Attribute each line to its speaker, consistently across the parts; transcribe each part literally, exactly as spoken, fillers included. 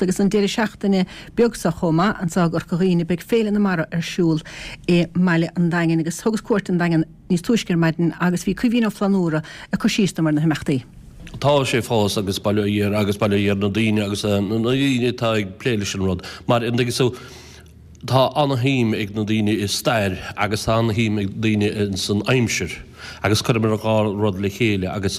Speaker 1: Agus an deireadh seachtaine beag seo chomh maith anseo i gCorca Dhuibhne beidh Féile na Mara ar siúl i mBaile an Daingin agus thugas cuairt an Daingean níos túisce ar maidin agus bhí Caoimhín Ó Flannúra ag cur síos dom ar na himeachtaí.
Speaker 2: Tá sé fós agus bail ó Dhia air agus bail ó Dhia ar na daoine agus na daoine atá ag plé leis an rud mar an dtuigeann tú tá ana-shuim ag na daoine i stair agus tá ana-shuim ag daoine san aimsir agus cuireamar an dhá rud le chéile agus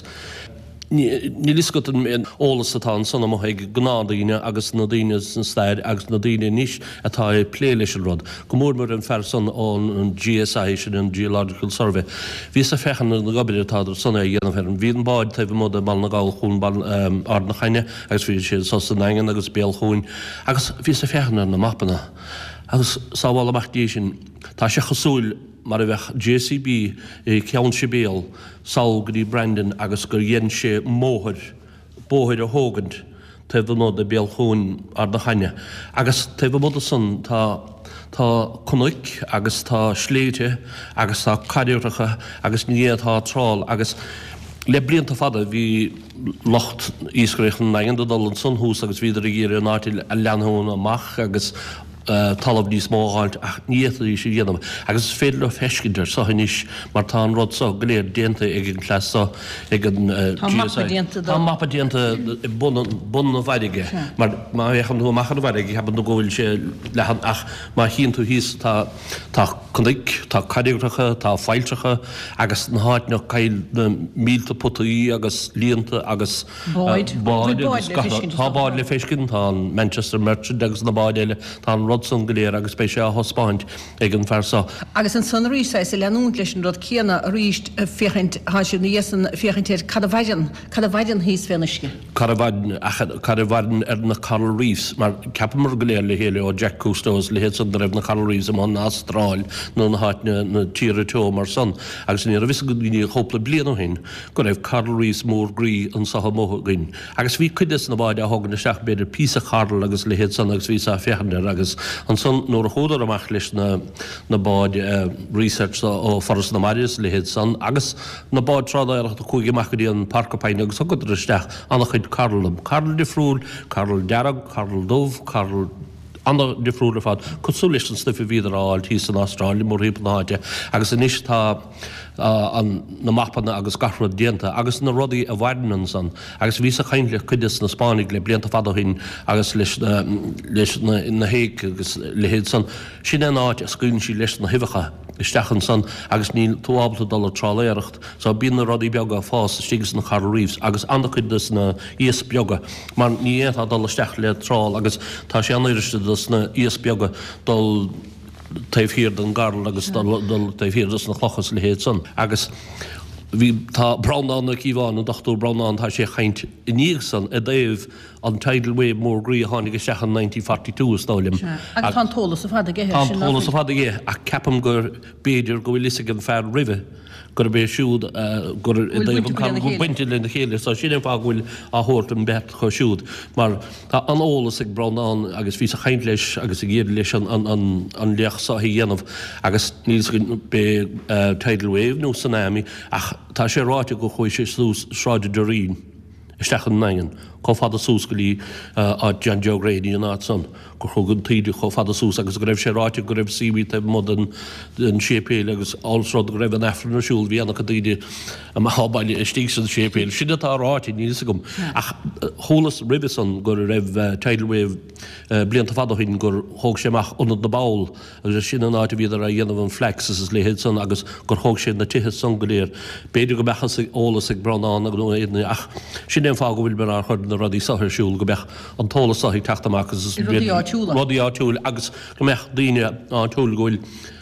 Speaker 2: Níl fhios agat an eolas atá ansan amuigh ag gnáthdaoine agus na daoine san stair agus na daoine anois atá ag plé leis an rud, go mór mór an fear san ón GSI, sin an Geological Survey. Bhíos ag féachaint ar an obair atá san á dhéanamh air. Bhí an bád taobh amuigh de Bhaile na nGall chuan Ard na Caithne agus bhí sé anso sa nDaingean agus Béal Chuain agus bhíos ag féachaint ar na mapanna agus sábhála amach Dia sinn, tá sé cosúil mar a bheadh JCB i gCeann Sibéal sall go dtí Brandon agus gur dhein sé mbóthar, bóthar a thógaint taobh amuigh de Béal Chuain Ard na Caithne. Agus taobh amuigh de san tá, tá cnoic agus tá sléibhte agus tá carraigreacha agus ní fhéadfá trál agus le blianta fada bhí lucht iascaireachta an Daingin ag dul ansan thuas agus bhíodar ag iarraidh an áit a leathnú amach agus talamh níos mó a dh'fháilt ach ní fhéadfaidís a dhéanamh agus is féidir leo feiscint air so anois mar tá an rud so go léir déanta ag an cleas so ag an
Speaker 1: Tá mapa déanta
Speaker 2: Tá mapa déanta i bun bun na bhfarraige mar má fhéachann tú amach ar an bhfarraige ceapann tú go bhfuil sé leathan ach má chíonn tú thíos tá tá cnoic, tá carraigreacha, tá failltreacha agus na háiteanna coill na mílte potaí agus líonta agus
Speaker 1: Báid.
Speaker 2: Báid agus tá báid le feiscint, tá an Manchester Merchant agus na báid eile, tá an rud san go léir agus beidh sé á thaispeáint ag an fear so.
Speaker 1: Agus ansan arís saghas ag leanúint leis an rud céanna arís féachaint, tá siad ina dhiaidh san féachaint ar cad a mhaireann, cad a mhaireann thíos fén uisce.
Speaker 2: Cad a mhaireann, ach cad a mhaireann ar na coral reefs, mar cheapamar go léir le chéile ó Jacques Cousteau is a leithéid san go raibh na coral reefs amuigh in Astráil nó na háiteanna, na tíortha teo mar san agus ní raibh fhios ag daoine chúpla bliain ó shin go raibh coral reefs mór groí anso amuigh againn. Agus bhí cuid des na báid á thógaint isteach, b'fhéidir píosa coral agus a leithéid san agus bhíos á féachaint air agus ansan nuair a chuadar amach leis na na báid research ó Foras na Mara is a leithéid san agus na báid trádáireachta chuaigh amach go dtí an Porcupine agus thugadar isteach an-chuid coral, coral difriúil, coral dearg, coral dubh, coral an-difriúil ar fad, cosúil leis an stuif a bhíodar á fháil thíos san Astráil, mórthimpeall na háite, agus anois tá an, na mapanna agus gach rud déanta, agus na rudaí a mhaireann ansan, agus bhíos ag caint le cuid des na Spáinnigh le blianta fada ó shin agus leis na, leis na, na héig agus leithéid san, sin é an áit a scaoileann siad leis na huibheacha isteach ansan agus níl tú ábalta dul ag trálaeireacht, so bíonn na rudaí beaga ag fás istigh sna coral reefs agus an-chuid des na iasc beaga. Mar ní fhéadfá dul isteach le trál agus tá sé an-fhuiriste dos na iasc beaga dul taobh thiar den gcoral agus dul taobh thiar dos na clocha is a leithéid san. Agus bhí, tá Breandán Ó Cíobháin, an Dochtúir Breandán, tá sé ag caint i ndiaidh san i dtaobh an tidal wave mór groí a tháinig isteach in nineteen forty two is dóigh liom.
Speaker 1: Sea. Agus tá an t-eolas ar fad aige
Speaker 2: air sin, nach bhfuil? Tá an t-eolas ar fad aige ach ceapaim gur, b'fhéidir go bhfuil fhios ag an fear roimhe, gurb é siúd gur i dtaobh an coral go bainte lena chéile. So sin an fáth go bhfuil á thabhairt an bheart acu siúd mar tá an-eolas ag Breandán agus bhíos ag caint leis agus ag iarraidh leis an léacht seo a dhéanamh agus níl 'fhios againn b'é tidal wave nó tsunami ach tá sé ráite gur chuaigh sé suas Sráid an Doirín isteach i nDaingean chomh fada suas go dtí áit John Joe Grady an áit san. gur chuaigh an taoide chomh fada suas agus go raibh sé ráite go raibh seaweed taobh amuigh den den séipéal agus ós rud go raibh an Aifreann ar siúl bhí an-chuid daoine amach ó baile istigh san séipéal. Sin atá ráite, níl fhios agam. Ach chualas roimhe san go raibh tidal wave blianta fada ó shin gur thóg sé amach Ionad na bPoll agus sin an áit a bhíodar á dhéanamh an flax is a leithéid san agus gur thóg sé na tithe san go léir. B'fhéidir go mbeadh eolas ag Breandán nó éinne ach sin é an fáth go bhfuil mar á chur na rudaí so ar siúl go mbeadh an t-eolas so ag teacht amach agus
Speaker 1: rudaí áitiúla.
Speaker 2: rudaí áitiúil agus go mbeadh daoine áitiúil go bhfuil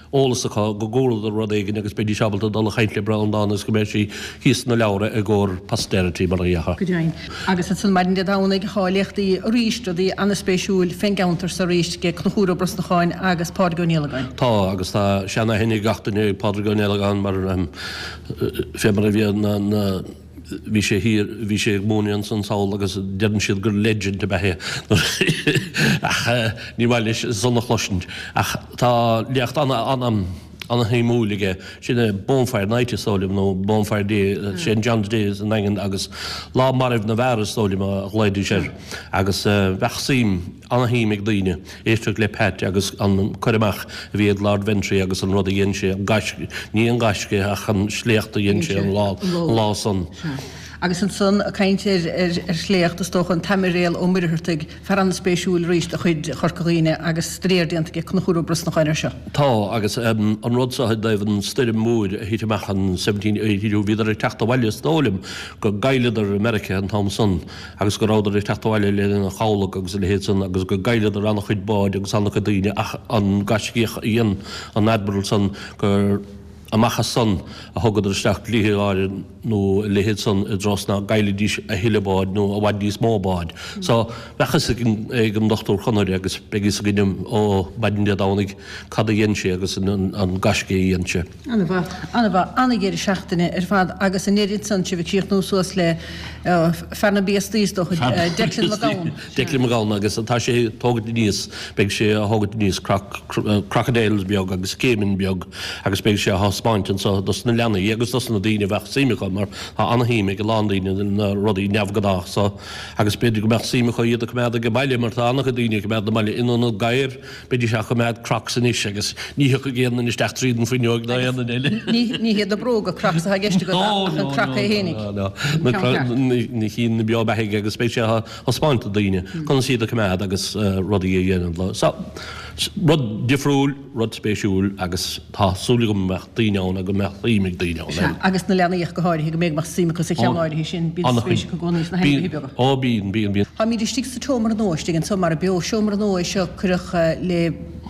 Speaker 2: eolas acu go gcualadar rud éigin agus beidís ábalta dul a chaint le Breandán agus go mbeidh sí thíos sna leabhra i gcomhair posterity mar a déarfá.
Speaker 1: Go deimhin. Agus ansan maidin Dé Domhnaigh thá léachtaí arís, rudaí ana-spéisiúil fén gceantar so arís ag Conchúr Ó Brosnacháin agus Pádraig Ó Niallagáin.
Speaker 2: Tá, agus tá sean-aithne ag gach duine ar Phádraig Ó Niallagáin mar fé mar a bhí na, na, bhí sé thiar, bhí sé ag múineadh ansan sall agus deireann siad gur legend ab ea é ach ní maith leis san a chloisint. Ach tá léacht ana, ana, an-shuimiúil aige, sin é Bonfire Night is dóigh liom nó Bonfire Day, Saint John's Day sa nDaingean agus Lá Mairbh na bhFear is dóigh liom a ghlaoidís air agus bheadh suim, an-shuim ag daoine éisteacht le Pat agus an cur amach a bhí ag Lord Ventry agus an rud a dhein sé, an gaisce, ní an gaisce ach an sléacht a dhein sé an lá, an lá san.
Speaker 1: Agus ansan, ag caint ar shléacht, is dócha, an tAimiréal Ó Muircheartaigh, fear an-spéisiúil arís de chuid Chorca Dhuibhne agus staidéar déanta aige Conchúr Ó Brosnacháin air seo.
Speaker 2: Tá, agus an rud seo i dtaobh an stoirm mhóir a thit amach in seventeen eighty two, bhíodar ag teacht abhaile is dóigh liom go gcailleadar i Meiriceá an t-am san agus go rabhadar ag teacht abhaile lena chabhlach agus a leithéid san agus go gcailleadar an-chuid báid agus an-chuid daoine ach an gaiscíoch a dhein an Admiral san gur Amach as san a thugadar isteach dlíthe áirithe nó a leithéid san i dtreo 's ná gcaillfidís a thuilleadh báid nó i bhfad níos mó báid. So, bheadh fhios ag an Dochtúir Conaire agus beidh fhios againn ó maidin Dé Domhnaigh cad a dhein sé agus an gaisce a dhein sé.
Speaker 1: An-mhaith, an-mhaith, an-dheireadh seachtaine ar fad agus an oiread san sibh ag críochnú suas le fear na bpiastaí is dócha, Declan McGowan.
Speaker 2: Declan McGowan agus tá sé ag tógaint aníos, beidh sé á thógaint aníos crocodiles beag agus caiman beag agus beidh sé á thaispeáint anso dos na leanaí agus dos na daoine a bheadh suim acu mar tá an-shuim ag a lán daoine na rudaí neamhghnách so agus b'fhéidir go mbeadh suim acu iad a coimeád age baile mar tá an-chuid daoine ag coimeád na mbaile in ionad gadhair beidís á coimeád crocs anois agus ní thiocfaidh aon duine isteach tríd an fuinneog ná aon duine eile.
Speaker 1: Ní hiad na bróga crocs atá i gceist agat ach an croc é fhéinig.
Speaker 2: No, no, na cinn na beo beathaigh agus beidh sé á thaispeáint do daoine conas iad a coimeád agus rudaí a dhéanamh leo. So, rud difriúil, rud spéisiúil agus tá súil agam go mbeadh daoine ann agus go mbeadh suim ag daoine ann.
Speaker 1: Sea, agus na leanaí ach go háirithe, go mbeadh suim acu sa cheann áirithe sin, bíonn spéis acu i gcónaí sna hainmhithe beaga.
Speaker 2: Ó, bíonn, bíonn, bíonn.
Speaker 1: Táimid istigh sa tseomra nua istigh anso Mara Beo, seomra nua é seo a cuireadh le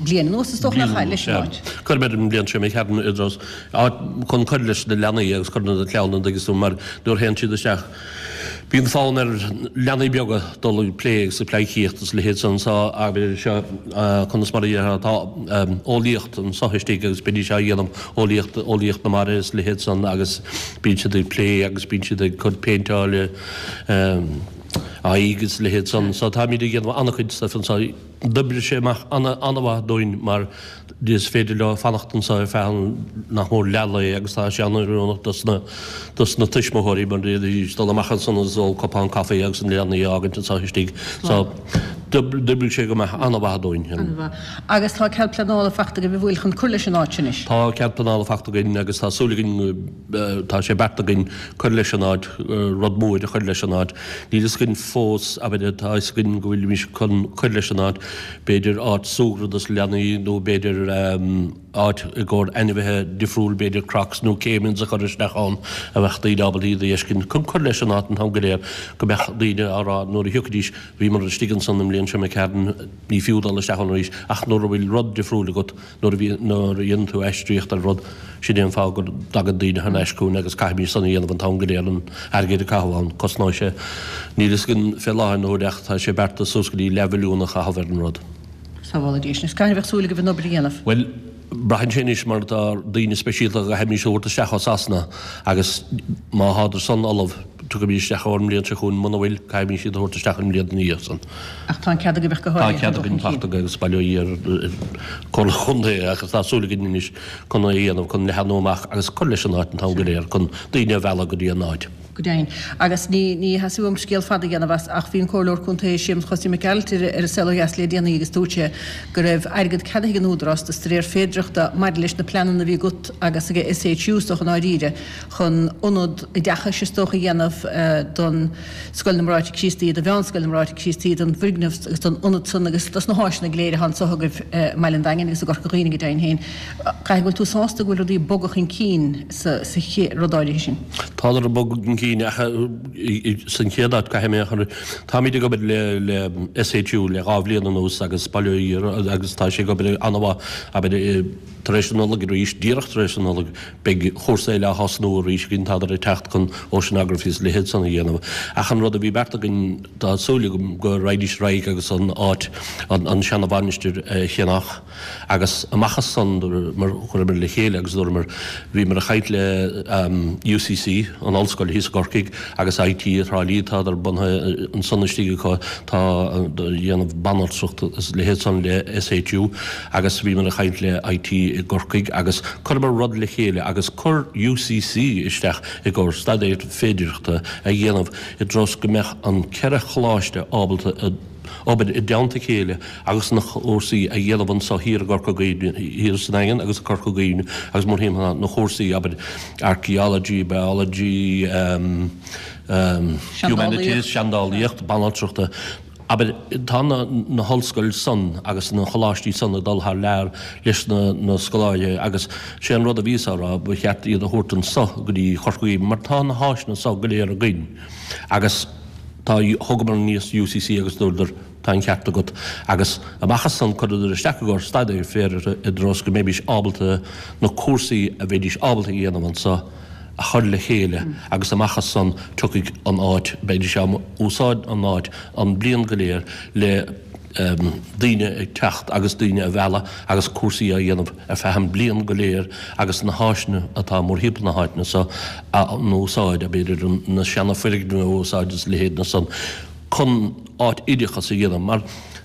Speaker 1: bliain anuas is dócha nach ea, leis an áit.
Speaker 2: Chuireamar an bhliain seo imigh tharainn i dtreo áit chun cur leis na leanaí agus cur na clann an dtuigeann tú mar nuair a théann siad isteach bíonn fonn ar leanaí beaga dul ag plé agus ag pleidhcíocht agus a leithéid san so abair seo conas mar a déarfá tá eolaíocht anso istigh agus bídís á dhéanamh eolaíocht eolaíocht na mara is a leithéid san agus bíonn siad ag plé agus bíonn siad ag cur péinteáil aghaidh agus a leithéid san so táimid ag déanamh an-chuid stuif anso. D'oibrigh sé amach an-mhaith dúinn mar is féidir leo fanacht anso ar feadh nach mór leath lae agus tá sé an-oiriúnach dos na dos na tuismitheoirí mar d'fhéadfaidís dul amach ansan agus ól cupán caife agus na leanaí a fhágaint anso istigh. So d'oibrigh sé go maith, an-mhaith dúinn.
Speaker 1: An-mhaith. Agus tá cead pleanála fachta agaibh an bhfuil chun cur leis an áit sin anois?
Speaker 2: Tá cead pleanála fachta againn agus tá súil againn Tá sé beartaithe againn cur leis an áit, rud mór a chur leis an áit. Níl fhios againn fós, abair, tá fhios againn go bhfuilimís chun cur leis an áit, b'fhéidir áit súgradh dos leanaí nó b'fhéidir áit i gcomhair ainmhithe difriúil, b'fhéidir crocs nó caimans a chur isteach ann a bheadh daoine ábalta iad a fheiscint, chun cur leis an áit an t-am go léir go mbeadh daoine á rá nuair a thiocfaidís, bhíomar istigh ansan an mbliain seo imigh tharainn, ní fiú dul isteach ann arís ach nuair a bhfuil rud difriúil agat, Nuair a bhíonn, nuair a dhéanann tú aistríocht ar rud, sin é an fáth go dtagann daoine thar n-ais chugainn agus caithfimid san a dhéanamh an t-am go léir, an airgead a caitheamh ann. Cosnóidh sé, níl fhios againn fé láthair na huaire ach tá sé beartaithe suas go dtí leathmhilliún a chaitheamh ar an rud.
Speaker 1: Sábhála Dia sinn. Is cathain a bheadh súil agaibh an obair a dhéanamh?
Speaker 2: Bhuel, braitheann sé anois mar tá daoine speisialta a gcaithfimís a thabhairt isteach ó Sasana agus má thádar san ullamh, Tiocfaimís isteach ón mbliain seo chugainn, muna bhfuil, caithfimís iad a thabhairt isteach an bhliain ina dhiaidh san.
Speaker 1: Ach tá an cead agaibh ach go háirithe
Speaker 2: Tá cead againn fachta agus bail ó Dhia ar Comhairle Chontae agus tá súil againn anois chun é a dhéanamh, chun leathnú amach agus cur leis an áit an t-am go léir, chun daoine a mhealladh go dtí an áit.
Speaker 1: Go deimhin. Agus ní ní theastaigh uaim scéal fada a dhéanamh as ach bhí an Comhairleoir Contae Séamus Chosaí Mac Gearailt ar ar An Saol Ó Dheas le déanaí agus dúirt sé go raibh airgead ceadaithe ag an Údarás do staidéar féidearthachta maidir leis na pleananna a bhí agat agus ag SHU is dócha i ndáiríre chun ionad oideachais is dócha a dhéanamh don Scoil na mBráithre Críostaí, do Mheánscoil na mBráithre Críostaí, don bhfoirgneamh agus don ionad san agus dos na háiseanna go léir atá anso agaibh i mBaile an Daingin agus i gCorca Dhuibhne go deimhin féin. Caithfidh go bhfuil tú sásta go bhfuil rudaí ag bogadh chun cinn sa rud áirithe sin.
Speaker 2: Tádar ag bogadh chun cinn ach san chéad áit caithfidh mé a chur, táimid ag obair le le SHU le dhá bhliain anuas agus bail ó Dhia agus tá sé ag obair an-mhaith, abair, Tar éis na Nollag arís, díreach tar éis na Nollag, beidh chúrsa eile á thosnú arís againn, tádar ag teacht chun oceanography is a leithéid san a dhéanamh. Ach an rud a bhí beartaithe againn, tá súil agam go raghaidís ar aghaidh agus an áit, an seana-mhainistir a cheannach agus amach as san, mar chuireamar le chéile agus dúramar, bhíomar ag caint le UCC, an ollscoil thíos i gCorcaigh, gCorcaigh agus IT i dTrá Lí, tádar bunaithe ansan istigh acu, tá dhéanamh banaltracht is leithéid san le SHU agus bhíomar ag caint le IT i gCorcaigh agus chuireamar rud le chéile agus chuir UCC isteach i gcomhair staidéar féidearthachta a dhéanamh i dtreo is go mbeadh an ceithre choláiste ábalta obair i dteannta a chéile agus na cúrsaí a dhéanamh anso thiar i gCorca Dhuibhne, thiar sa Daingean agus i Corca Dhuibhne agus mórthimpeall na chúrsaí, abair, archaeology, biology, um, um, humanities, seandálaíocht, banaltrachta. Abair, tá na, na hollscoil san agus na choláistí san ag dul thar lear leis na, na scoláirí agus sé an rud a bhíos á rá, ba cheart iad a thabhairt anso go dtí Corca Dhuibhne mar tá na háiseanna so go léir againn agus Tá, thugamar aníos UCC agus dúradar, tá an ceart agat. Agus amach as san chuireadar isteach i gcomhair staidéar féideartha i dtreo is go mbeimís ábalta na cúrsaí a bheidís ábalta a dhéanamh anso a chur le chéile agus amach as san tiocfaidh an áit, beidís á úsáid an áit an bliain go léir le daoine ag teacht agus daoine a mhealladh agus cúrsaí á dhéanamh ar feadh an bliain go léir agus na háiseanna atá mórthimpeall na háiteanna so a n-úsáid, b'fhéidir na seana foirgnimh a úsáid is leithéid na san chun áit oideachas a dhéanamh mar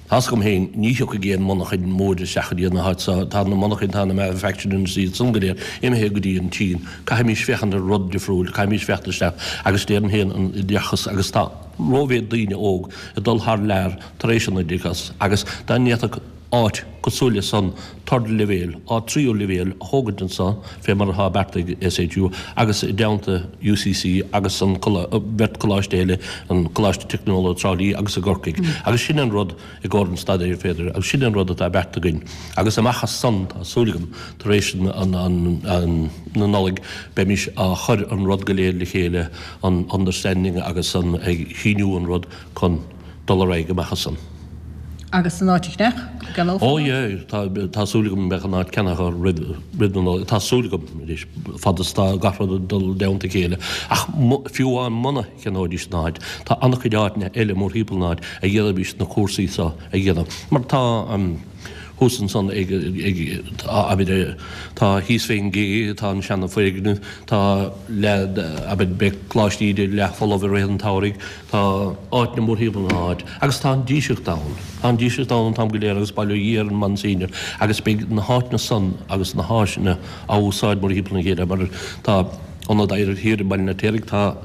Speaker 2: tá's agam féin ní thiocfaidh aon monarchain mór isteach go dtí an áit so, tá na monarchain, tá na manufacturing industries iad san go léir imithe go dtí an tSín, caithfimís féachaint ar rud difriúil, caithfimís féachaint isteach agus déarfainn féin an oideachas agus tá rómhéid daoine óg ag dul thar lear tar éis an oideachas agus dá ndéanfadh áit cosúil le san third leibhéal, áit tríú leibhéal a thógaint anso fé mar atá beartaithe ag SHU agus i dteannta UCC agus an bheirt coláiste eile, an Coláiste Teicneolaíochta Trá Lí agus i gCorcaigh. Agus sin an rud i gcomhair an staidéir féideartha agus sin an rud atá beartaithe againn. Agus amach as san, tá súil agam, tar éis na Nollag beimís á chur an rud go léir le chéile, an understanding agus an ag síniú an rud chun dul ar aghaidh amach as san.
Speaker 1: Agus an áit a cheannach?
Speaker 2: Gceannófar Ó yeah, tá tá súil agam go mbeidh an áit ceannaithe roimh roimh na Nollag. Tá súil agam arís, fad is tá gach rud ag dul i dteannta a chéile. Ach fiú amháin muna cheannóidís an áit, tá an-chuid áiteanna eile mórthimpeall an áit a d'fhéadfaidís na cúrsaí seo a dhéanamh. Mar tá thuas ansan ag ag abair tá thíos fén gcé, tá an seana foirgneamh, tá leath abair beidh Coláiste Íde leath folamh i rith an tsamhraidh, tá áiteanna mórthimpeall na háit agus tá an Díseart ann. Tá an Díseart ann an t-am go léir agus bail ó Dhia ar an Monsignor agus beidh na háiteanna san agus na háiseanna á úsáid mórthimpeall na chéile mar tá Ionad Oidhreachta thiar i mBaile an Fheirtéaraigh, tá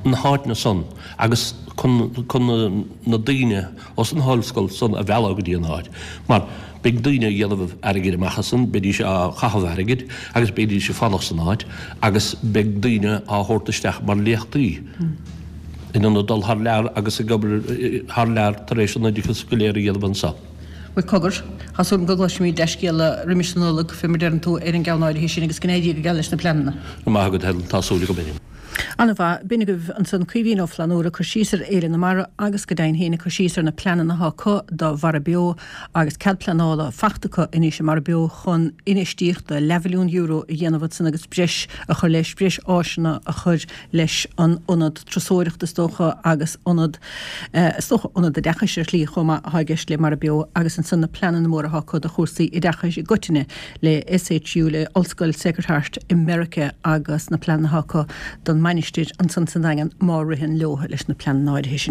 Speaker 2: na háiteanna san agus chun chun na daoine os an hollscoil san a mhealladh go dtí an áit mar beidh daoine ag déanamh airgid amach as san, beidís á chaitheamh airgid agus beidís ag fanacht san áit agus beidh daoine á thabhairt isteach mar léachtaí in ionad dul thar lear agus ag obair thar lear tar éis an oideachas go léir a dhéanamh anso.
Speaker 1: Bhuel cogar, tá súil agam go gcloisfimid dea-scéala roimis an Nollaig, fé mar deireann tú, ar an gceann áirithe sin agus go n-éirí go geal leis na pleananna.
Speaker 2: Go raibh maith agat Helen, tá súil agam féin.
Speaker 1: An-mhaith. B'in agaibh ansan Caoimhín Ó Flannúra ag cur síos ar Fhéile na Mara agus go deimhin féin ag cur síos ar na pleananna atá acu do Mhara Beo agus cead pleanála fachta acu anois i Mara Beo chun infheistíocht de leathmhilliún euro a dhéanamh ansan agus breis a chur leis, breis áiseanna a chur leis an ionad turasóireachta is dócha agus ionad, is dócha ionad oideachais ar shlí chomh maith atá i gceist le Mara Beo agus ansan na pleananna móra atá acu do chúrsaí oideachais i gcoitinne le SHU, le Ollscoil Sacred Heart i Meiriceá agus na pleananna atá acu don Mainistir ansan sa Daingean má ritheann leo leis na pleananna áirithe sin.